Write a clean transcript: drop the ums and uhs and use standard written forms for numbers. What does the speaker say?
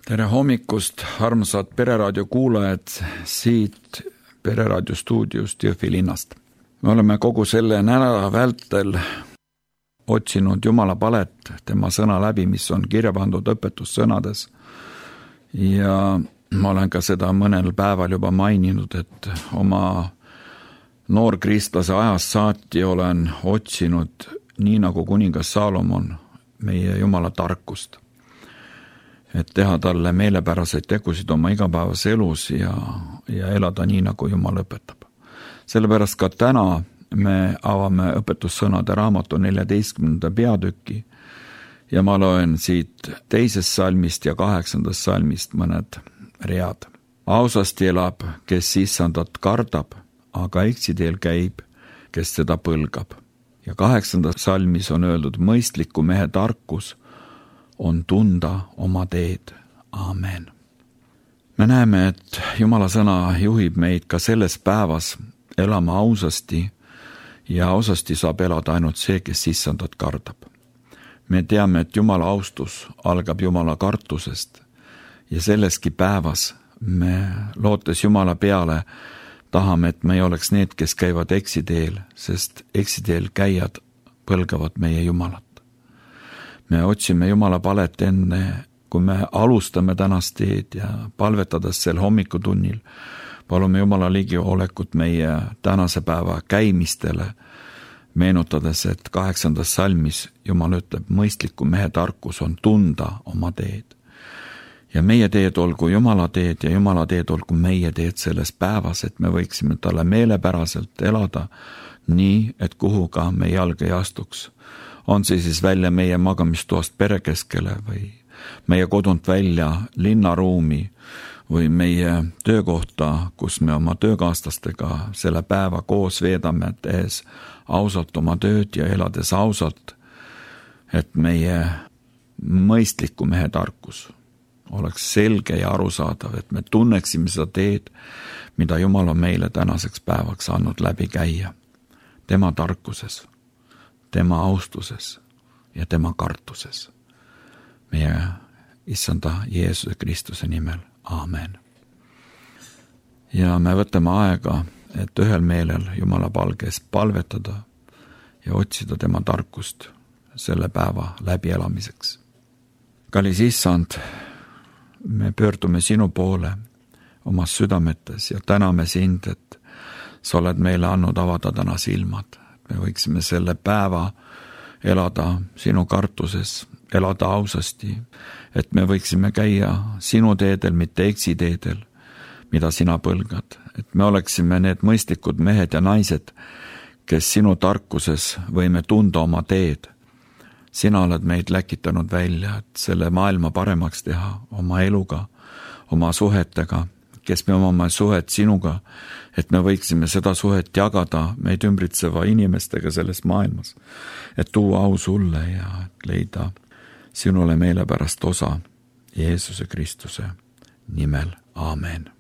Tere hommikust, armsad Pereraadio kuulajad siit Pereraadio stuudiust Jõhvi linnast. Me oleme kogu selle nädala vältel otsinud Jumala palet, tema sõna läbi, mis on kirja pandud õpetussõnades. Ja ma olen ka seda mõnel päeval juba maininud, et oma noorkristlase ajast saati olen otsinud, nii nagu kuningas Saalomon, meie Jumala tarkust. Et teha talle meelepäraseid tegusid oma igapäevas elus ja elada nii, nagu Jumal õpetab. Sellepärast ka täna me avame õpetussõnade raamatu 14. peatüki ja ma loen siit 2. salmist ja 8. salmist mõned read. Ausasti elab, kes issandat kardab, aga eksiteel käib, kes seda põlgab. Ja 8. salmis on öeldud, mõistliku mehe tarkus on tunda oma teed. Aamen. Me näeme, et Jumala sõna juhib meid ka selles päevas elama ausasti ja ausasti saab elada ainult see, kes issandat kardab. Me teame, et Jumala austus algab Jumala kartusest ja selleski päevas me lootes Jumala peale tahame, et me ei oleks need, kes käivad eksiteel, sest eksiteel käijad põlgavad meie Jumalat. Me otsime Jumala palet enne, kui me alustame tänast teed ja palvetades sel hommikutunnil, palume Jumala ligiolekut meie tänase päeva käimistele, meenutades, et 8. salmis Jumal ütleb, mõistliku mehe tarkus on tunda oma teed. Ja meie teed olgu Jumala teed ja Jumala teed olgu meie teed selles päevas, et me võiksime talle meelepäraselt elada nii, et kuhu ka me jalg ei astuks. On see siis välja meie magamistoast perekeskele või meie kodunt välja linnaruumi või meie töökohta, kus me oma töökaaslastega selle päeva koos veedame, tehes ausalt oma tööd ja elades ausalt, et meie mõistliku mehe tarkus oleks selge ja arusaadav, et me tunneksime seda teed, mida Jumal on meile tänaseks päevaks andnud läbi käia. Tema tarkuses, tema austuses ja tema kartuses. Meie issanda Jeesuse Kristuse nimel. Aamen. Ja me võtame aega, et ühel meelel Jumala palges palvetada ja otsida tema tarkust selle päeva läbielamiseks. Kallis issand, me pöördume sinu poole omas südametes ja täname sind, et sa oled meile andnud avada täna silmad. Me võiksime selle päeva elada sinu kartuses, elada ausasti, et me võiksime käia sinu teedel, mitte eksiteedel, mida sina põlgad. Et me oleksime need mõistlikud mehed ja naised, kes sinu tarkuses võime tunda oma teed. Sina oled meid läkitanud välja, et selle maailma paremaks teha oma eluga, oma suhetega, kes me omame suhet sinuga, et me võiksime seda suhet jagada meid ümbritseva inimestega selles maailmas, et tuua au sulle ja leida sinule meelepärast osa Jeesuse Kristuse nimel. Aamen.